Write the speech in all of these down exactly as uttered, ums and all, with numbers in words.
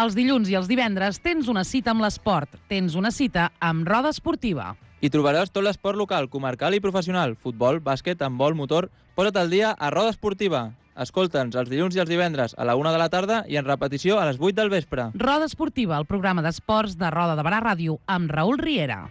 Els dilluns i els divendres tens una cita amb l'esport. Tens una cita amb Roda Esportiva. Hi trobaràs tot l'esport local, comarcal i professional. Futbol, bàsquet, handbol, motor... Posa't al dia a Roda Esportiva. Escolta'ns els dilluns i els divendres a la una de la tarda i en repetició a les vuit del vespre. Roda Esportiva, el programa d'esports de Roda de Barà Ràdio, amb Raül Riera.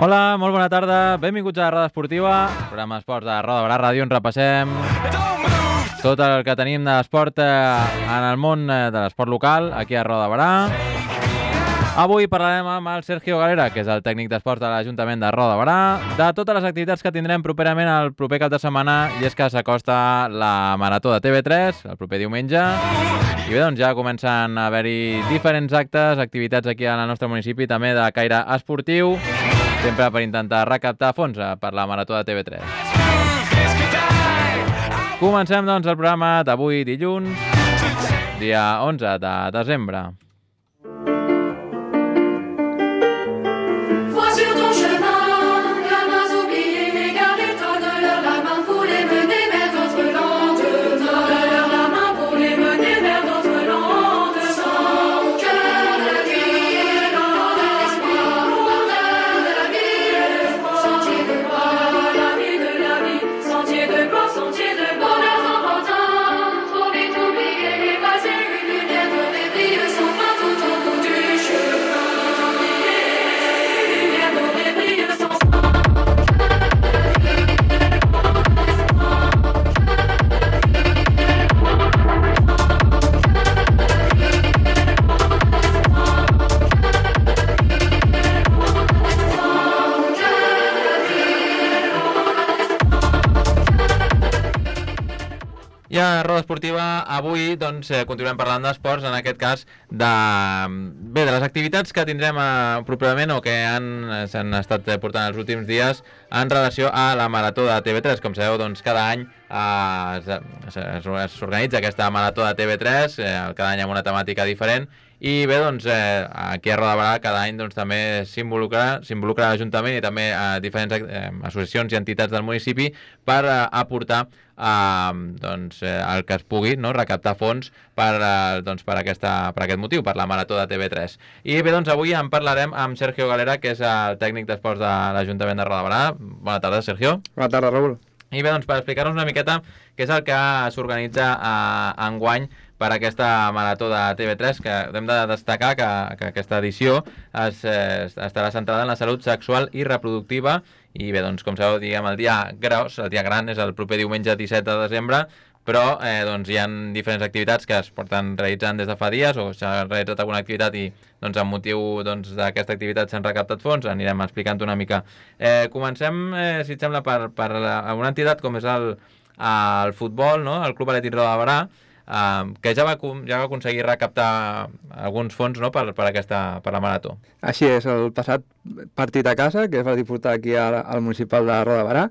Hola, molt bona tarda, benvinguts a Roda Esportiva, programa d'esports de Roda de Barà Ràdio, on repassem tot el que tenim d'esport en el món de l'esport local, aquí a Roda de Barà. Avui parlarem amb el Sergio Galera, que és el tècnic d'esports de l'Ajuntament de Roda de Barà, de totes les activitats que tindrem properament el proper cap de setmana, i és que s'acosta la Marató de T V tres, el proper diumenge, i bé, doncs ja comencen a haver-hi diferents actes, activitats aquí al nostre municipi, també de caire esportiu, sempre per intentar recaptar fons per la Marató de T V tres. Comencem, doncs, el programa d'avui dilluns, dia onze de desembre. I a Roda Esportiva avui doncs, eh, continuem parlant d'esports, en aquest cas de, bé, de les activitats que tindrem eh, properament o que s'han estat portant els últims dies en relació a la Marató de T V tres. Com sabeu, doncs, cada any eh, s'organitza aquesta Marató de T V tres, eh, cada any amb una temàtica diferent. I bé, doncs, eh, aquí a Roda de Barà cada any doncs, també s'involucra s'involucra l'Ajuntament i també eh, diferents eh, associacions i entitats del municipi per eh, aportar eh, doncs, eh, el que es pugui, no? Recaptar fons per, eh, doncs, per, aquesta, per aquest motiu, per la Marató de T V tres. I bé, doncs, avui en parlarem amb Sergio Galera, que és el tècnic d'esports de l'Ajuntament de Roda de Barà. Bona tarda, Sergio. Bona tarda, Raül. I bé, doncs, per explicar-nos una miqueta què és el que s'organitza eh, enguany per aquesta Marató de T V tres, que hem de destacar que, que aquesta edició es, eh, estarà centrada en la salut sexual i reproductiva. I bé, doncs, com sabeu, diguem, el dia gros, el dia gran és el proper diumenge disset de desembre, però eh, doncs, hi ha diferents activitats que es porten realitzant des de fa dies, o s'ha realitzat alguna activitat i doncs, amb motiu doncs, d'aquesta activitat s'han recaptat fons. Anirem explicant una mica. Eh, comencem, eh, si et sembla, per, per una entitat com és el, el futbol, no? El Club Atlètic Roda de Barà, Uh, que ja va, ja va aconseguir recaptar alguns fons, no? per, per, aquesta, per la Marató. Així és, el passat partit a casa, que es va disputar aquí al, al municipal de Roda de Barà,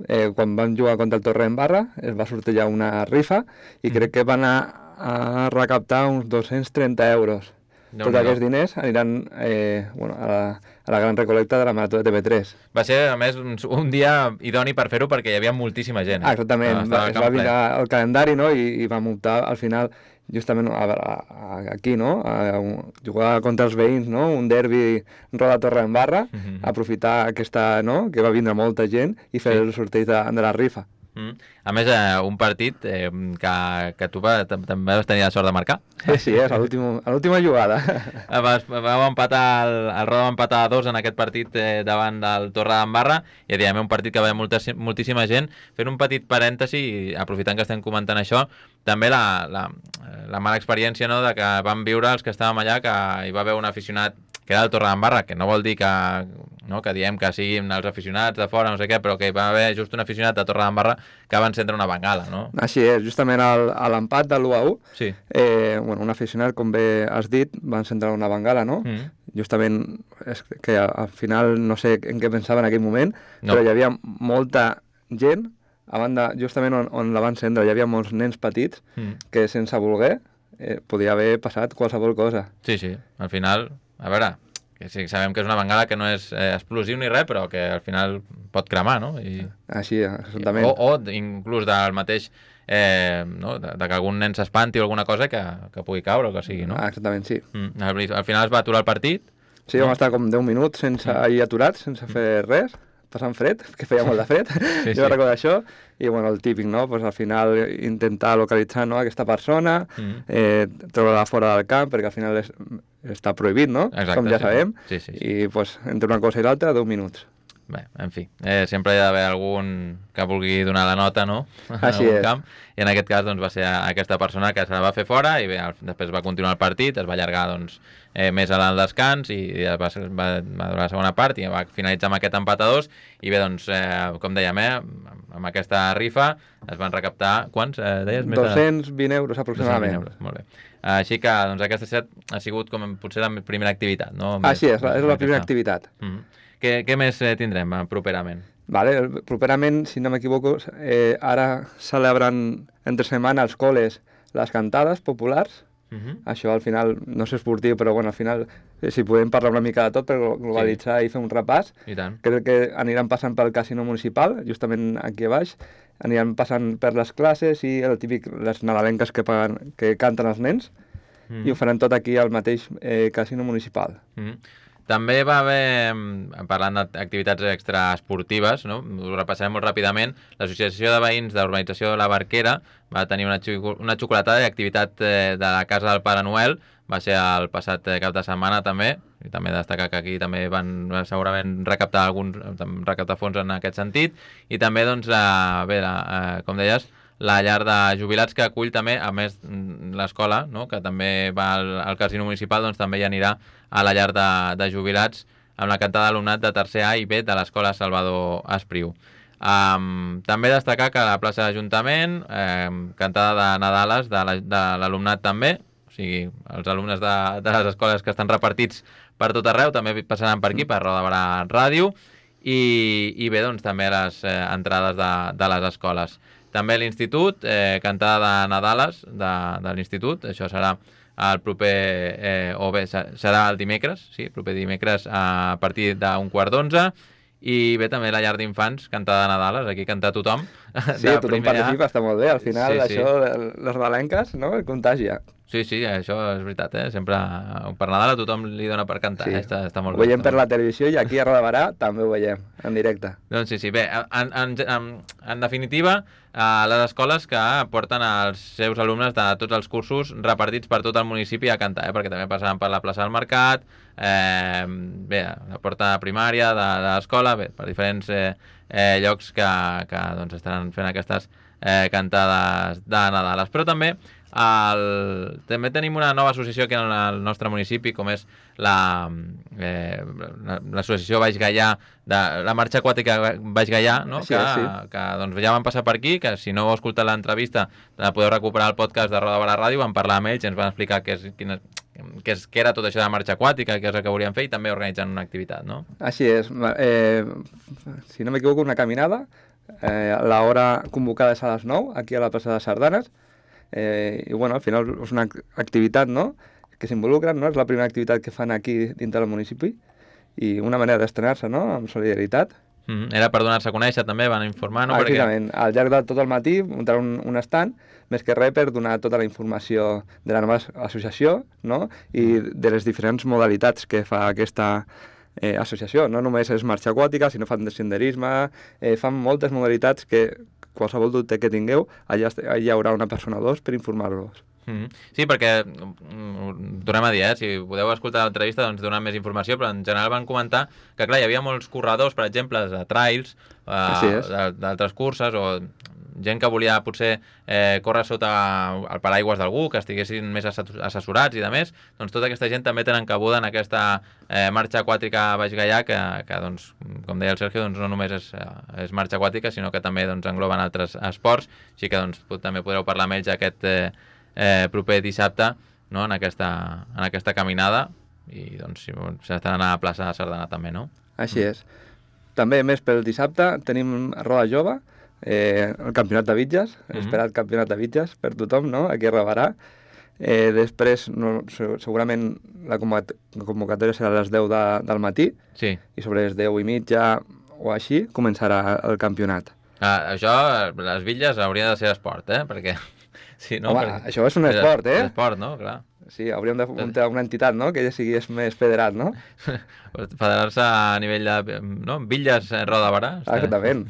eh, quan vam jugar contra el Torre en Barra, es va sortir ja una rifa i mm. crec que van anar a recaptar uns dos-cents trenta euros. No, Tots no. aquests diners aniran eh, bueno, a, la, a la gran recolecta de la Marató de T V tres. Va ser, a més, un, un dia idoni per fer-ho perquè hi havia moltíssima gent. Eh? Ah, exactament, va, es va mirar el calendari, no? I, i vam optar al final justament a, a, a, aquí, no? A, a jugar contra els veïns, no? Un derbi Roda Torre en Barra, uh -huh. aprofitar aquesta, no? Que va vindre molta gent i fer sí. el sorteig de, de la rifa. Mm. A més, eh, un partit eh, que, que tu va, també vas tenir la sort de marcar. Sí, sí, és a l'última jugada. Vas, vau empatar, el, el Roda va empatar a dos en aquest partit eh, davant del Torre d'en Barra, i diguem, un partit que va molta, moltíssima gent. Fent un petit parèntesi, aprofitant que estem comentant això, també la, la, la mala experiència, no?, de que vam viure els que estàvem allà, que hi va haver un aficionat que era el Torredembarra, que no vol dir que, no, que diem que siguin els aficionats de fora, no sé què, però que va haver just un aficionat de Torredembarra que va encendre una bengala, no? Així és, justament al, a l'empat de l'u a u, Sí. eh, bueno, un aficionat, com bé has dit, va encendre una bengala, no? Mm. Justament, és que al final no sé en què pensava en aquell moment, No. però hi havia molta gent, a banda, justament on, on la va encendre, hi havia molts nens petits Mm. que sense voler eh, podia haver passat qualsevol cosa. Sí, sí, al final, a veure, que sí, sabem que és una bengala que no és eh, explosiu ni res, però que al final pot cremar, no? I, Així, exactament. o, o inclús del mateix, eh, no? de, de que algun nen s'espanti o alguna cosa que, que pugui caure o que sigui, no? Ah, exactament, sí. Mm. Al, al final es va aturar el partit. Sí, vam estar com deu minuts sense, ahir aturats, sense fer res, passant fred, que feia molt de fred, Sí, jo sí. recordo això, i bueno, el típic, no? Pues al final intentar localitzar, no, aquesta persona, Mm. eh, treure-la fora del camp, perquè al final és, està prohibit, no? Exacte, Com ja sí. sabem, Sí, sí, sí. i pues, entre una cosa i l'altra, deu minuts. Bé, en fi, eh, sempre hi ha d'haver algun que vulgui donar la nota, no? Així en algun és. camp. I en aquest cas doncs, va ser aquesta persona que se la va fer fora i bé, al- després va continuar el partit, es va allargar doncs, eh, més al descans i, i va, ser- va, va durar la segona part i va finalitzar amb aquest empat a dos i bé, doncs, eh, com dèiem, eh, amb- amb aquesta rifa es van recaptar, quants? Eh, deies? Més de- dos-cents vint euros aproximadament. dos cents vint euros, molt bé. Així que doncs, aquesta set ha sigut com potser la primera activitat, no? Així és, la- és la Aquesta. primera activitat. Mm. Què, què més eh, tindrem eh, properament? Vale, el- properament, si no m'equivoco, eh, ara celebren entre setmana als col·les les cantades populars. Uh -huh. Això al final no és esportiu, però bueno, al final eh, si podem parlar una mica de tot per globalitzar sí. i fer un repàs. I tant. Crec que aniran passant pel casino municipal, justament aquí a baix, aniran passant per les classes i el típic, les nadalenques que, paguen, que canten els nens, Mm. i ho faran tot aquí al mateix eh, casino municipal. Mm. També va haver, mm, parlant d'activitats extraesportives, no? Ho repassarem molt ràpidament, l'Associació de Veïns de l'Urbanització de la Barquera va tenir una, xo una xocolatada d'activitat eh, de la Casa del Pare Noel, va ser el passat eh, cap de setmana també, i també destacar que aquí també van eh, segurament recaptar alguns recaptar fons en aquest sentit, i també, doncs, la, bé, la, eh, com deies, la llar de jubilats que acull també, a més l'escola, no? Que també va al, al casino municipal, doncs també hi anirà a la llar de, de jubilats amb la cantada d'alumnat de tercer A i B de l'escola Salvador Espriu. Um, també destacar que a la plaça d'Ajuntament, um, cantada de Nadales de l'alumnat també, o sigui, els alumnes de, de les escoles que estan repartits per tot arreu també passaran per aquí, per Roda de Barà Ràdio, i, i bé, doncs també les eh, entrades de, de les escoles. També l'Institut, eh, cantada de Nadales de, de l'Institut, això serà el proper, eh, o bé, serà el dimecres, sí, el proper dimecres a partir d'un quart d'onze, i bé, també la llar d'infants, cantada de Nadales, aquí canta tothom. Sí, tothom participa, està molt bé, al final Sí, sí. això, les balenques, no?, el contagia. Sí, sí, això és veritat, eh? Sempre per Nadal a tothom li dona per cantar, Sí. eh? està, està molt Ho veiem bé. per la televisió i aquí a Roda de Barà també ho veiem, en directe. Doncs sí, sí, bé, en, en, en, en definitiva, eh, les escoles que porten els seus alumnes de tots els cursos repartits per tot el municipi a cantar, eh? Perquè també passaran per la plaça del Mercat, eh, bé, la porta primària de, de l'escola, bé, per diferents eh, eh, llocs que, que doncs, estaran fent aquestes eh, cantades de Nadales. Però també el... també tenim una nova associació aquí en el nostre municipi, com és la eh, l'associació Baix Gaià, de la marxa aquàtica Baix Gaià, no? Sí, que, sí. que doncs, ja van passar per aquí, que si no heu escoltat l'entrevista la podeu recuperar al podcast de Roda de Barà Ràdio, vam parlar amb ells i ens van explicar què, és, quina, què, és, què era tot això de la marxa aquàtica, què és el que volien fer, i també organitzen una activitat, no? Així és. Eh, si no m'equivoco, una caminada. Eh, L'hora convocada és a les nou, aquí a la plaça de Sardanes. Eh, I bueno, al final és una activitat, no?, que s'involucren, no? És la primera activitat que fan aquí dintre del municipi i una manera d'estrenar-se, no?, amb solidaritat. Mm -hmm. Era per donar-se a conèixer també, van informar, no? Ah, Perquè... exactament. Al llarg de tot el matí muntar un, un stand, més que res per donar tota la informació de la nova associació, no?, i de les diferents modalitats que fa aquesta eh, associació. No només és marxa aquàtica, sinó fan de senderisme, eh, fan moltes modalitats que qualsevol dubte que tingueu, allà, allà hi haurà una persona o dos per informar-los. Mm -hmm. Sí, perquè, mm, tornem a dir, eh, si podeu escoltar l'entrevista, doncs donar més informació, però en general van comentar que, clar, hi havia molts corredors, per exemple, de trails, Així és. eh, d'altres curses, o gent que volia potser eh, córrer sota el paraigües d'algú, que estiguessin més assessorats i de més, doncs tota aquesta gent també tenen cabuda en aquesta eh, marxa aquàtica Baix Gaià, que, que doncs, com deia el Sergio, doncs, no només és, és marxa aquàtica, sinó que també doncs, engloben altres esports, així que doncs, també podreu parlar amb ells aquest eh, eh, proper dissabte, no? en, aquesta, en aquesta caminada, i doncs si s'estaran a la plaça de Sardana també, no? Així és. També, més pel dissabte, tenim Roda Jove, eh, el campionat de Bitges, mm -hmm. esperat campionat de Bitges per tothom, no?, aquí a Barberà. Eh, després, no, segurament, la convocatòria serà a les deu de, del matí, sí. i sobre les deu i mitja o així començarà el campionat. Ah, això, les bitlles haurien de ser esport, eh?, perquè... Sí, no? Home, perquè... això és un esport, eh? És esport, no?, clar. Sí, hauríem de muntar una entitat, no?, que ja sigui més federat, no? Federar-se a nivell de... no? Bitlles Roda Barà. Exactament.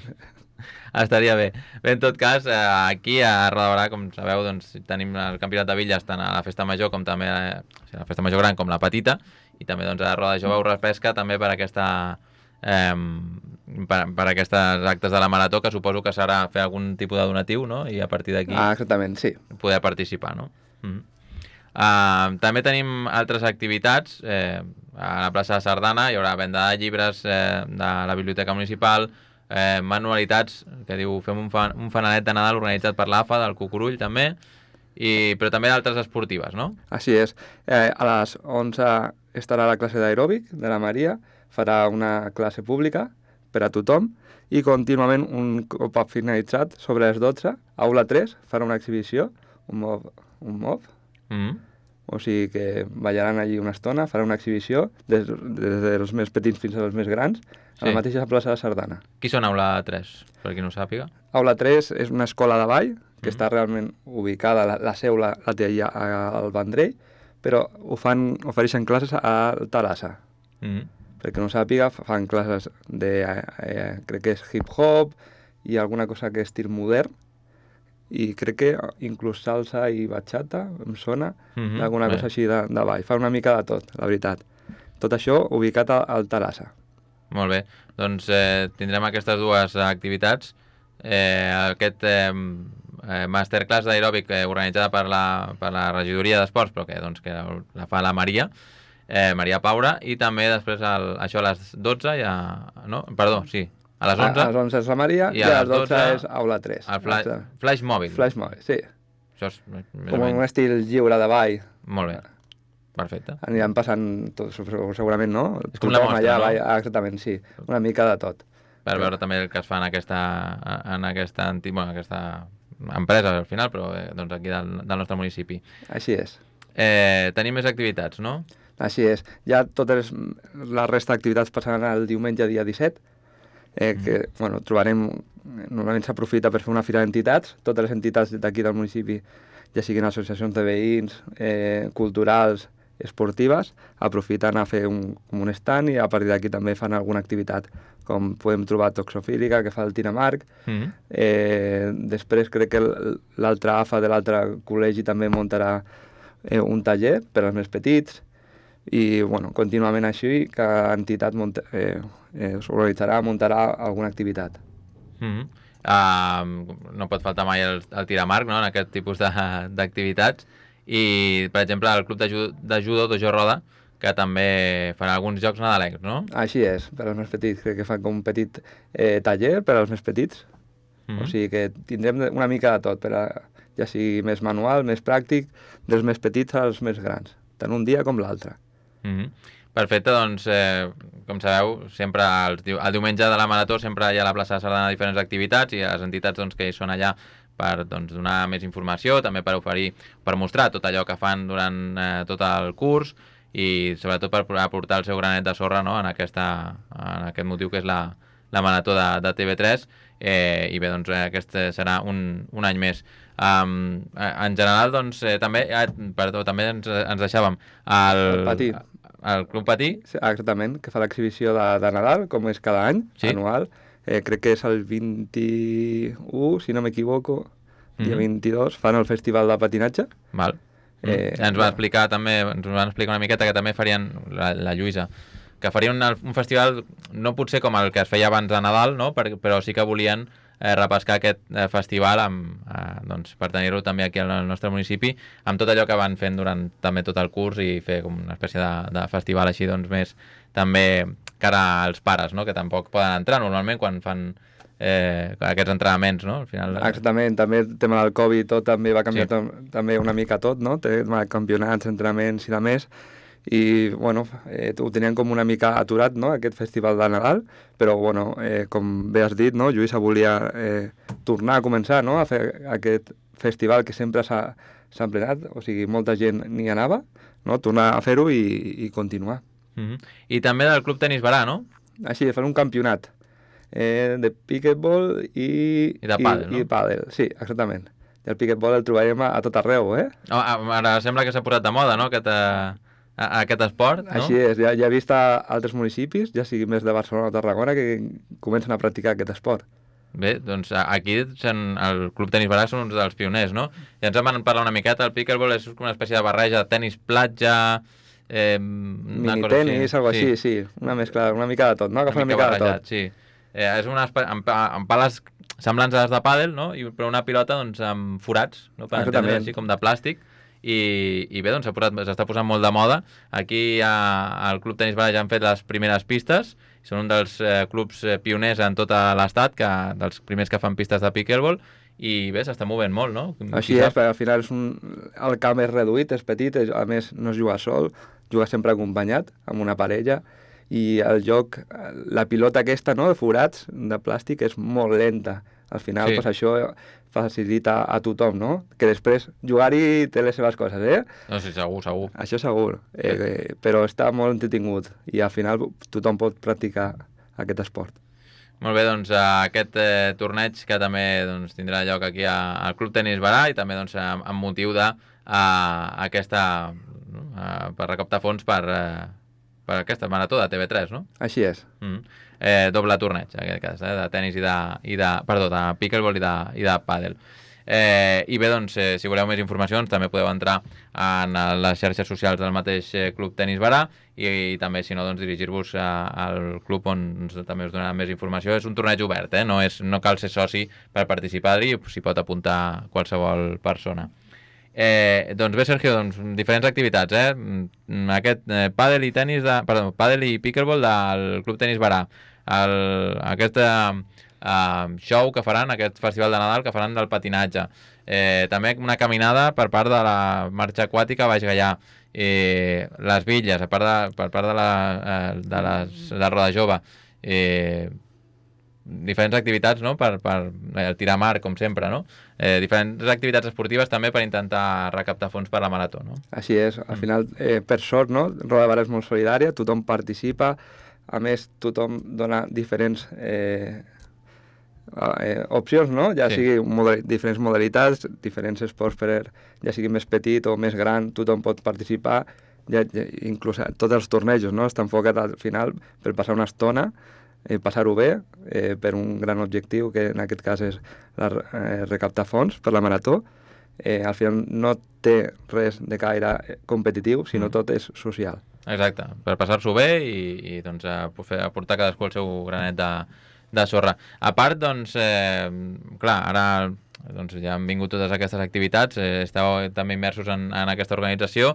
Estaria bé. Bé, en tot cas, aquí a Roda Barà, com sabeu, doncs, tenim el campionat de bitlles tant a la festa major com també a la festa major gran com la petita, i també doncs, a Roda Jove us pesca també per aquesta... Eh, per, per aquests actes de la marató, que suposo que serà fer algun tipus de donatiu, no? I a partir d'aquí ah, exactament, sí. poder participar, no? Mm-hmm. Uh, també tenim altres activitats. Eh, a la plaça de Sardana hi haurà venda de llibres eh, de la Biblioteca Municipal, eh, manualitats, que diu fem un, fan, un fanalet de Nadal organitzat per l'A F A del Cucurull també, i, però també d'altres esportives, no? Així és. Eh, a les onze estarà la classe d'aeròbic de la Maria, farà una classe pública per a tothom, i contínuament, un cop finalitzat, sobre les dotze, aula tres, farà una exhibició, un mov, un mov, mm-hmm. o sigui que ballaran allí una estona, farà una exhibició des, des dels més petits fins als més grans, a la mateixa plaça de Sardana. Qui són aula tres, per qui no ho sàpiga? Aula tres és una escola de ball, que mm. està realment ubicada, la, la seu la, la té allà al Vendrell, però ho fan, ofereixen classes a Terrassa. Mm. Perquè no sàpiga, fan classes de, eh, crec que és hip-hop i alguna cosa que és estil modern, i crec que inclús salsa i bachata, em sona, mm-hmm. alguna cosa així de, de ball. Fa una mica de tot, la veritat. Tot això ubicat al, al Terrassa. Molt bé. Doncs eh, tindrem aquestes dues activitats. Eh, aquest eh, masterclass d'aeròbic eh, organitzada per la, per la regidoria d'esports, però que, doncs, que la fa la Maria, eh, Maria Paura, i també després el, això a les dotze ja... No? Perdó, sí. A les onze. A, a les onze és la Maria i, i a les dotze és aula tres. El flash, flash mòbil. Flash mòbil, sí. Això és com un estil lliure de ball. Molt bé. Perfecte. Aniran passant tot, segurament, no? És com la mostra, allà, no? Ball, ah, exactament, sí. Una mica de tot. Per veure també el que es fa en aquesta, en aquesta, anti, bueno, aquesta empresa, al final, però eh, doncs aquí del, del nostre municipi. Així és. Eh, tenim més activitats, no? Així és. Ja totes la resta d'activitats passaran el diumenge dia disset, eh, que, mm. bueno, trobarem... Normalment s'aprofita per fer una fira d'entitats, totes les entitats d'aquí del municipi, ja siguin associacions de veïns, eh, culturals, esportives, aprofiten a fer un, com un stand, i a partir d'aquí també fan alguna activitat, com podem trobar toxofílica, que fa el Tinamarc. Mm-hmm. eh, després crec que l'altre A F A de l'altre col·legi també muntarà eh, un taller per als més petits, i bueno, contínuament així, cada entitat munta, eh, eh, s'organitzarà, muntarà alguna activitat. Mm-hmm. uh, no pot faltar mai el, el Tiramarc, no?, en aquest tipus d'activitats. I, per exemple, el club de judo, de judo Dojo Roda, que també fan alguns jocs nadalencs, no? Així és, per als més petits. Crec que fan com un petit eh, taller per als més petits. Mm-hmm. O sigui que tindrem una mica de tot, per a, ja sigui més manual, més pràctic, dels més petits als més grans, tant un dia com l'altre. Mm-hmm. Perfecte, doncs, eh, com sabeu, sempre el, el diumenge de la Marató sempre hi ha a la plaça de Sardana diferents activitats, i les entitats doncs, que hi són allà per doncs, donar més informació, també per oferir, per mostrar tot allò que fan durant eh, tot el curs, i sobretot per aportar el seu granet de sorra, no?, en, aquesta, en aquest motiu que és la, la Marató de, de T V tres, eh, i bé, doncs aquest serà un, un any més. Um, en general, doncs, eh, també, eh, perdó, també ens, ens deixàvem el, el Patí. El Club Patí. Sí, exactament, que fa l'exhibició de, de Nadal, com és cada any, sí? Anual. Eh, crec que és el vint-i-u, si no m'equivoco, dia mm-hmm. vint-i-dos, fan el festival de patinatge. Val. Eh, ens va explicar també, ens van explicar una miqueta que també farien, la, la Lluïsa, que farien un, un festival no potser com el que es feia abans de Nadal, no? Per, però sí que volien eh, repescar aquest eh, festival amb, eh, doncs, per tenir-lo també aquí al nostre municipi, amb tot allò que van fent durant també tot el curs i fer com una espècie de, de festival així doncs més també cara als pares, no? Que tampoc poden entrar normalment quan fan eh, aquests entrenaments, no? Al final, eh... Exactament, també el tema del Covid tot també va canviar Sí. també una mica tot, no? Té campionats, entrenaments i de més, i bueno, eh, ho tenien com una mica aturat, no?, aquest festival de Nadal, però bueno, eh, com bé has dit, no?, Lluïsa volia eh, tornar a començar, no?, a fer aquest festival que sempre s'ha s'ha emplenat, o sigui, molta gent n'hi anava, no?, tornar a fer-ho i, i continuar. Mm-hmm. I també del Club Tenis Barà, no? Així, fan un campionat eh, de piquetball i... I de pàdel, no? I pàdel, sí, exactament. I el piquetball el trobarem a, a tot arreu, eh? Oh, ara sembla que s'ha posat de moda, no?, aquest, eh, aquest esport, no? Així és, ja, ja he vist a altres municipis, ja sigui més de Barcelona o Tarragona, que comencen a practicar aquest esport. Bé, doncs aquí el Club Tenis Barà són uns dels pioners, no? I ens en van parlar una miqueta, el pickleball és una espècie de barreja de tenis platja... Eh, Minitenis, algo així, sí. Una mescla, una mica de tot, no? Agafa una, una mica barrejat, de tot. Sí. Eh, és una espècie, amb, amb pales semblants a les de pàdel, no? I, però una pilota doncs, amb forats, no? Per entendre així com de plàstic. I, i bé, doncs s'està posant molt de moda. Aquí a, al Club Tenis Barà ja han fet les primeres pistes, són un dels eh, clubs eh, pioners en tot l'estat, que dels primers que fan pistes de pickleball, i bé, s'està movent molt, no? Així és, perquè al final és un... el camp és reduït, és petit, a més no es juga sol, juga sempre acompanyat, amb una parella, i el joc, la pilota aquesta, no?, de forats, de plàstic, és molt lenta. Al final, sí. Pues, això facilita a tothom, no? Que després jugar-hi té les seves coses, eh? No, sí, segur, segur. Això segur, eh, sí. eh, però està molt entretingut i al final tothom pot practicar aquest esport. Molt bé, doncs aquest eh, torneig que també doncs, tindrà lloc aquí a, al Club Tenis Barà i també doncs, amb, amb motiu de a, aquesta, no? a, per recaptar fons per, eh, per aquesta marató de T V tres, no? Així és. Mm. Eh, doble torneig, en aquest cas, eh, de tenis i de, i de... Perdó, de pickleball i de, i de pàdel. Eh, I bé, doncs, eh, si voleu més informacions, també podeu entrar en les xarxes socials del mateix eh, Club Tenis Barà i, i també, si no, doncs, dirigir-vos al club on doncs, també us donaran més informació. És un torneig obert, eh? no, és, no cal ser soci per participar-hi, s'hi pot apuntar qualsevol persona. Eh, doncs bé, Sergio, doncs, diferents activitats, eh? Aquest eh, pàdel i tenis de, perdó, pàdel i pickleball del Club Tenis Barà. El, aquesta uh, show que faran, aquest festival de Nadal que faran del patinatge. Eh, també una caminada per part de la marxa aquàtica Baix Gaià. Eh, les bitlles, a part de, per part de la, eh, de les, de Roda Jove. Eh, diferents activitats, no?, per, per eh, tirar mar, com sempre, no? Eh, diferents activitats esportives també per intentar recaptar fons per la marató, no? Així és. Al final, eh, per sort, no?, Roda Barà és molt solidària, tothom participa, a més, tothom dona diferents eh, eh, opcions, no? Ja sí. sigui model, diferents modalitats, diferents esports per, ja sigui més petit o més gran, tothom pot participar, ja, ja, inclús tots els tornejos, no? Està enfocat al final per passar una estona, eh, passar-ho bé, eh, per un gran objectiu, que en aquest cas és la, eh, recaptar fons per la marató. Eh, al final no té res de caire competitiu, sinó mm. tot és social. Exacte, per passar-s'ho bé i, i doncs, a, a portar cadascú el seu granet de, de sorra. A part, doncs, eh, clar, ara doncs, ja han vingut totes aquestes activitats, eh, esteu també immersos en, en aquesta organització,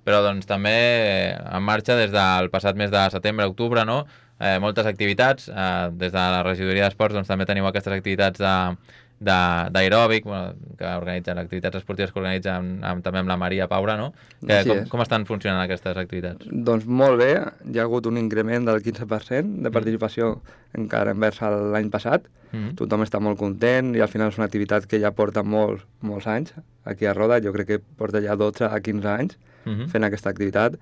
però doncs, també eh, en marxa des del passat mes de setembre, octubre, no? Eh, moltes activitats, eh, des de la regidoria d'esports doncs, també teniu aquestes activitats de d'aeròbic, bueno, que organitzen activitats esportives que organitzen amb, amb, també amb la Maria Paura, no? Que, com, com estan funcionant aquestes activitats? Doncs molt bé, hi ha hagut un increment del quinze per cent de participació mm. encara envers l'any passat, mm. tothom està molt content i al final és una activitat que ja porta molts, molts anys aquí a Roda, jo crec que porta ja dotze a quinze anys mm-hmm. fent aquesta activitat,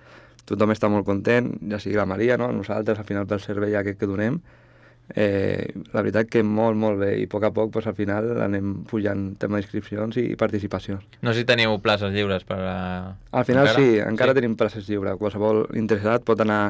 tothom està molt content, ja sigui la Maria, no? Nosaltres al final pel servei aquest que donem. Eh, la veritat que molt, molt bé, i a poc a poc pues, al final anem pujant tema d'inscripcions i participacions. No sé si teniu places lliures per a... Al final encara? sí, encara sí. tenim places lliures. Qualsevol interessat pot anar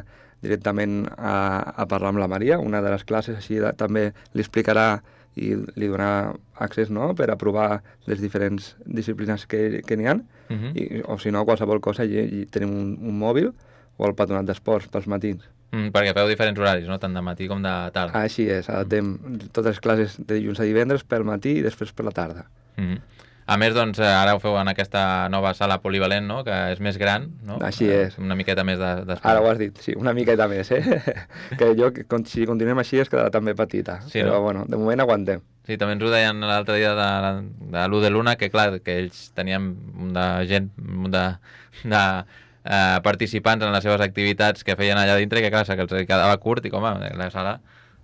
directament a, a parlar amb la Maria, una de les classes, així de, també li explicarà i li donarà accés, no?, per aprovar les diferents disciplines que, que n'hi ha, uh-huh. I, o si no, qualsevol cosa, i, i tenim un, un mòbil o el patronat d'esports pels matins. Mm, perquè feu diferents horaris, no? Tant de matí com de tarda. Així és, adaptem totes les classes de dilluns a divendres pel matí i després per la tarda. Mm. A més, doncs, ara ho feu en aquesta nova sala polivalent, no? Que és més gran, no? Així és. Una miqueta més d'espai. Ara ho has dit, sí, una miqueta més, eh? Que jo, que si continuem així, es quedarà també petita. Sí, però, no? bueno, de moment aguantem. Sí, també ens ho deien l'altre dia de, de l'u de l'una, que clar, que ells tenien un de gent, un de, de eh, participants en les seves activitats que feien allà dintre, que clar, que els quedava curt i com a la sala...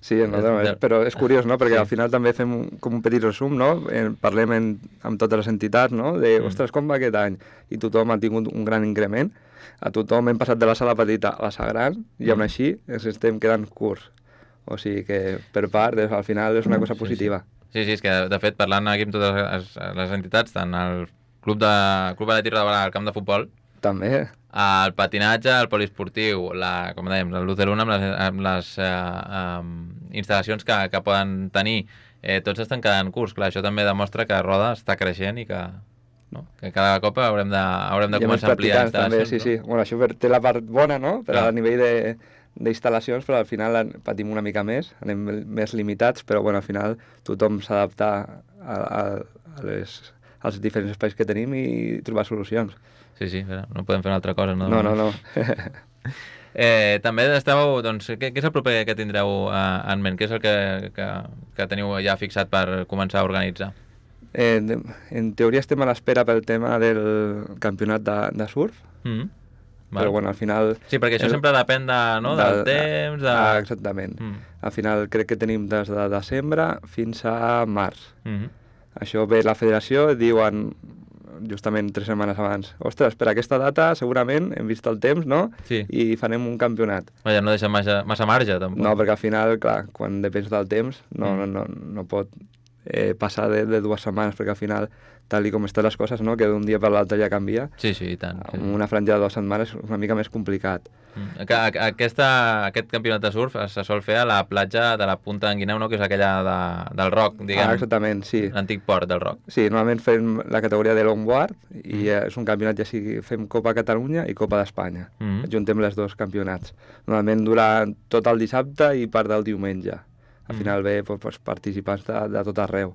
Sí, no, no, però és curiós, no? Perquè sí. Al final també fem un, com un petit resum, no? En, parlem en, amb totes les entitats, no? De, mm. ostres, com va aquest any? I tothom ha tingut un gran increment. A tothom hem passat de la sala petita a la sala gran i aún així ens estem quedant curts. O sigui que, per part, al final és una cosa positiva. Sí, sí, sí, és que de fet, parlant aquí amb totes les, les entitats, tant el Club de Club Atlètic Roda, el camp de futbol, també. El patinatge, el poliesportiu, la, com dèiem, el l'U de l'una amb les, amb les eh, um, instal·lacions que, que poden tenir, eh, tots estan quedant curts. Clar, això també demostra que Roda està creixent i que, no? Que cada cop haurem de, haurem de començar a ampliar instal·lacions. També, sí, no? sí. Bueno, això té la part bona, no? Però a nivell de d'instal·lacions, però al final patim una mica més, anem més limitats, però bueno, al final tothom s'adapta a, a, a les, als diferents espais que tenim i trobar solucions. Sí, sí, no podem fer una altra cosa, no? No, no, no. eh, també esteu, doncs, què, què és el proper que tindreu eh, en ment? Què és el que, que, que teniu ja fixat per començar a organitzar? Eh, en teoria estem a l'espera pel tema del campionat de, de surf, mm-hmm. Però bueno, al final... Sí, perquè això el... sempre depèn de, no? de, del temps... De... Ah, exactament. Mm. Al final crec que tenim des de desembre fins a març. Mm-hmm. Això ve la federació, diuen justament tres setmanes abans, ostres, per aquesta data segurament hem vist el temps, no? Sí. I farem un campionat. Vaja, no deixa massa, massa marge, tampoc. No, perquè al final, clar, quan depens del temps no, mm. no, no, no pot eh, passar de, de dues setmanes, perquè al final, tal i com estan les coses, no? Que d'un dia per l'altre ja canvia. Sí, sí, i tant. Sí. Amb una franja de dues setmanes és una mica més complicat. Mm. Aquesta, aquest campionat de surf se sol fer a la platja de la Punta d'en Guineu, no? Que és aquella de, del Roc, diguem. Ah, exactament, sí. L'antic port del Roc. Sí, normalment fem la categoria de longboard i mm. és un campionat, ja sigui fem Copa Catalunya i Copa d'Espanya. Mm. Juntem les dos campionats. Normalment dura tot el dissabte i part del diumenge. Al mm. final ve pues, participants de, de tot arreu.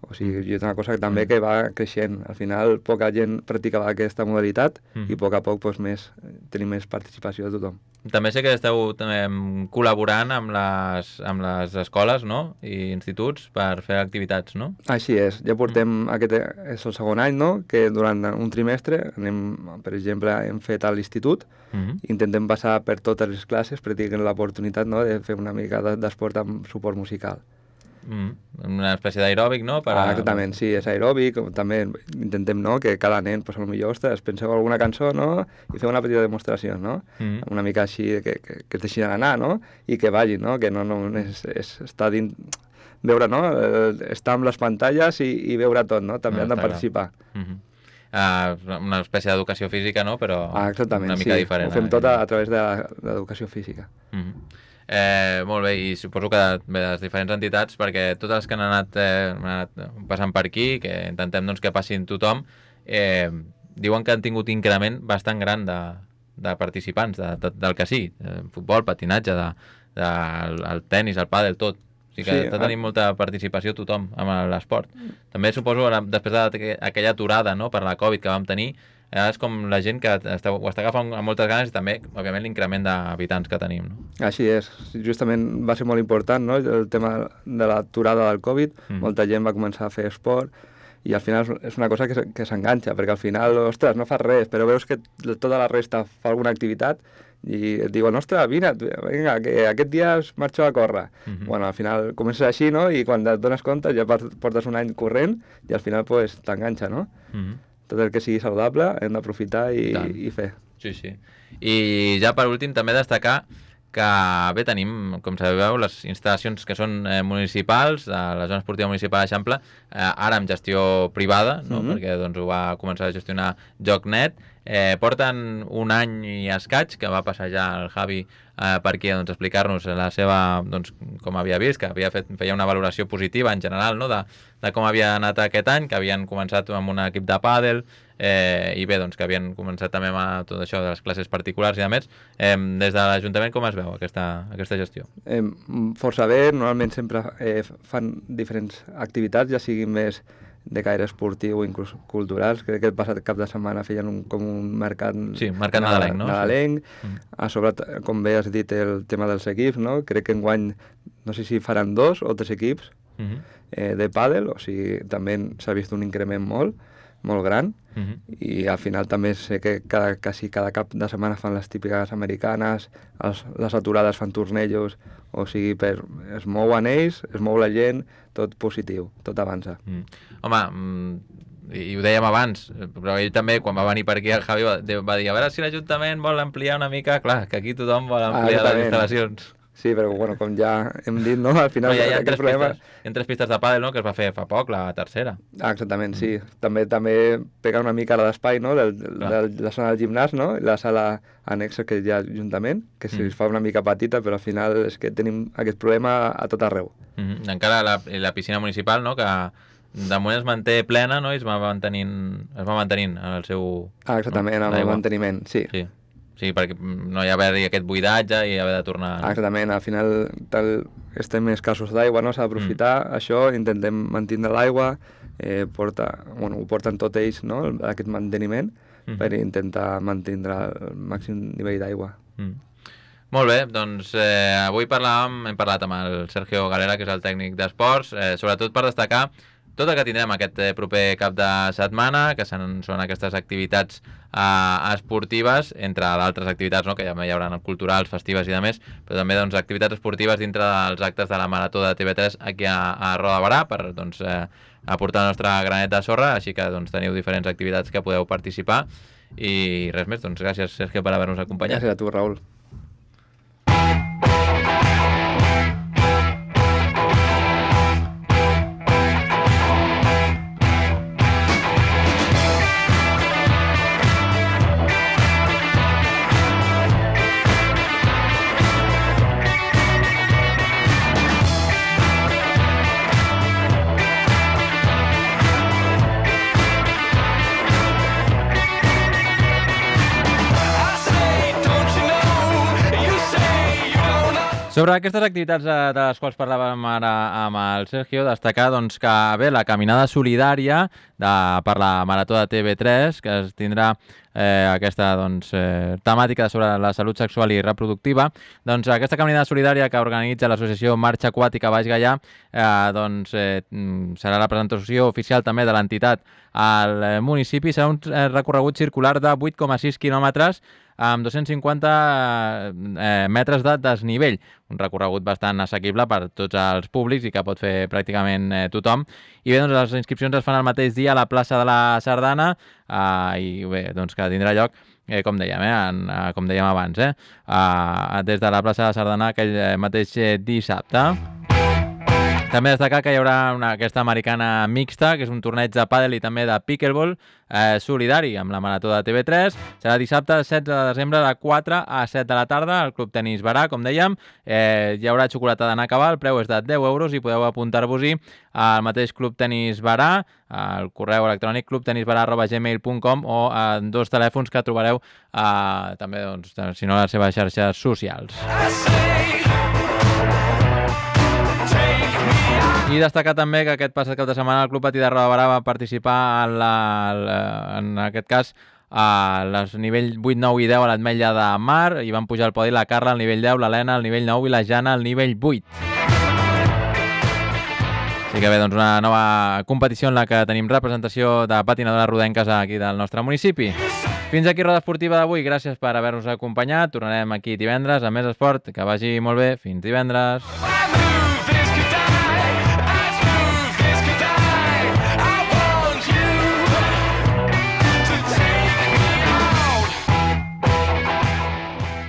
O sigui, és una cosa que també que va creixent. Al final, poca gent practicava aquesta modalitat mm. i a poc a poc pues, més, tenim més participació de tothom. També sé que esteu també, col·laborant amb les, amb les escoles, no? I instituts per fer activitats, no? Així és. Ja portem, mm. aquest és el segon any, no? Que durant un trimestre, anem, per exemple, hem fet a l'institut, mm-hmm. intentem passar per totes les classes, perquè tinguin l'oportunitat, no? De fer una mica d'esport amb suport musical. Mm, una espècie d'aeròbic, no? Per a... Ah, exactament, sí, és aeròbic. També intentem, no?, que cada nen, pues, potser, ostres, penseu alguna cançó, no?, i feu una petita demostració, no? Mm. Una mica així, que, que, que es deixin anar, no?, i que vagin, no?, que no, no és, és estar dins... Veure, no?, estar amb les pantalles i, i veure tot, no?, també no, han de participar. Mm-hmm. uh, una espècie d'educació física, no?, però ah, una mica sí. diferent. Ho fem tot a, a través de l'educació física. Mm-hmm. Eh, molt bé, i suposo que de les diferents entitats, perquè totes les que han anat, eh, han anat passant per aquí, que intentem doncs, que passin tothom, eh, diuen que han tingut increment bastant gran de, de participants, de, de, del que sí, de futbol, patinatge, de, de, el, el tenis, el pàdel, tot. O sigui que sí, està tenint molta participació tothom amb l'esport. També suposo, després d'aquella aturada, no?, per la Covid que vam tenir, és com la gent que està, ho està agafant amb moltes ganes i també, òbviament, l'increment d'habitants que tenim, no? Així és. Justament va ser molt important, no?, el tema de l'aturada del Covid. Mm. Molta gent va començar a fer esport i al final és una cosa que, que s'enganxa, perquè al final, ostres, no fas res, però veus que tota la resta fa alguna activitat i et diuen, ostres, vine, vinga, que aquest dia es marxo a córrer. Mm-hmm. Bueno, al final comences així, no?, i quan et dones compte ja portes un any corrent i al final pues, t'enganxa, no? Mm-hmm. Tot el que sigui saludable hem d'aprofitar i, i fer. Sí, sí. I ja per últim també destacar que bé, tenim, com sabeu, les instal·lacions que són eh, municipals, a la zona esportiva municipal d'Eixample, eh, ara amb gestió privada, no? Mm-hmm. Perquè doncs, ho va començar a gestionar JocNet. Eh, porten un any i escaig que va passar ja el Javi eh, per aquí a doncs, explicar-nos la seva, doncs, com havia vist, que havia fet, feia una valoració positiva en general, no? de, de com havia anat aquest any, que havien començat amb un equip de pàdel, eh, i bé, doncs que havien començat també amb tot això de les classes particulars i a més, eh, des de l'Ajuntament com es veu aquesta, aquesta gestió? Eh, força bé, normalment sempre eh, fan diferents activitats, ja siguin més de caire esportiu o inclús culturals. Crec que el passat cap de setmana feien un, com un mercat, sí, mercat nadalenc, no? nadalenc. Sí. A sobre, com bé has dit, el tema dels equips, no? Crec que enguany, no sé si faran dos o tres equips uh -huh. eh, de pàdel, o sigui, també s'ha vist un increment molt, molt gran, uh -huh. i al final també sé que cada, quasi cada cap de setmana fan les típiques americanes, els, les aturades fan tornejos, o sigui, per, es mouen ells, es mou la gent, tot positiu, tot avança. Mm. Home, mm, i ho dèiem abans, però ell també, quan va venir per aquí, el Javi va, va dir, a veure si l'Ajuntament vol ampliar una mica, clar, que aquí tothom vol ampliar ah, les instal·lacions. Sí, però bueno, com ja hem dit, no? Al final... Però ja hi ha, tres problema... pistes, hi ha tres pistes de pàdel, no?, que es va fer fa poc, la tercera. Ah, exactament, sí. Mm. També també pega una mica la d'espai, no?, de, de, de la zona del gimnàs, no?, la sala anexa que hi ha Ajuntament, que si mm. es fa una mica petita, però al final és que tenim aquest problema a tot arreu. Mm -hmm. Encara la, la piscina municipal, no?, que de moment es manté plena, no?, i es va mantenint, es va mantenint en el seu... Ah, exactament, no? amb el manteniment, sí. Sí. Sí, perquè no hi ha d'haver aquest buidatge i haver de tornar... No? Exactament, al final tal, estem escassos d'aigua, no? S'ha d'aprofitar mm. això, intentem mantenir l'aigua, eh, porta, bueno, ho porten tots ells, no?, aquest manteniment, mm. per intentar mantenir el màxim nivell d'aigua. Mm. Molt bé, doncs eh, avui parlàvem, hem parlat amb el Sergio Galera, que és el tècnic d'esports, eh, sobretot per destacar tot el que tindrem aquest proper cap de setmana, que són, són aquestes activitats eh, esportives, entre d'altres activitats, no?, que ja hi haurà culturals, festives i de més, però també doncs, activitats esportives dintre dels actes de la Marató de T V tres aquí a, a Roda de Barà, per doncs, eh, aportar el nostre granet de sorra, així que doncs, teniu diferents activitats que podeu participar. I res més, doncs gràcies, Sergio, per haver-nos acompanyat. Gràcies a tu, Raül. Sobre aquestes activitats de les quals parlàvem ara amb el Sergio, destacar doncs, que bé, la caminada solidària de, per la Marató de T V tres, que es tindrà eh, aquesta doncs, eh, temàtica sobre la salut sexual i reproductiva, doncs aquesta caminada solidària que organitza l'associació Marxa Aquàtica Baix Gaià, eh, doncs, eh, serà la presentació oficial també de l'entitat al municipi, serà un eh, recorregut circular de vuit coma sis quilòmetres amb dos-cents cinquanta eh, metres de desnivell, un recorregut bastant assequible per tots els públics i que pot fer pràcticament eh, tothom. I bé, doncs les inscripcions es fan el mateix dia a la plaça de la Sardana eh, i bé, doncs que tindrà lloc, eh, com dèiem, eh, en, eh, com dèiem abans, eh, eh, des de la plaça de la Sardana aquell mateix dissabte. També destacar que hi haurà una, aquesta americana mixta, que és un torneig de pàdel i també de pickleball eh, solidari amb la Marató de T V tres. Serà dissabte setze de desembre de quatre a set de la tarda al Club Tenis Barà, com dèiem. Eh, hi haurà xocolata d'anar a acabar, el preu és de deu euros i podeu apuntar-vos-hi al mateix Club Tenis Barà, al correu electrònic club tenis barà arroba gmail punt com o en dos telèfons que trobareu eh, també, doncs, si no, a les seves xarxes socials. I destacar també que aquest passat cap de setmana el Club Patí de Roda de Barà va participar en, la, en aquest cas a les nivell vuit, nou i deu a l'Ametlla de Mar, i van pujar al podi la Carla al nivell deu, l'Helena al nivell nou i la Jana al nivell vuit. Així que bé, doncs una nova competició en la que tenim representació de patinadores rodenques aquí del nostre municipi. Fins aquí Roda Esportiva d'avui, gràcies per haver-nos acompanyat, tornarem aquí divendres amb més esport, que vagi molt bé, fins divendres.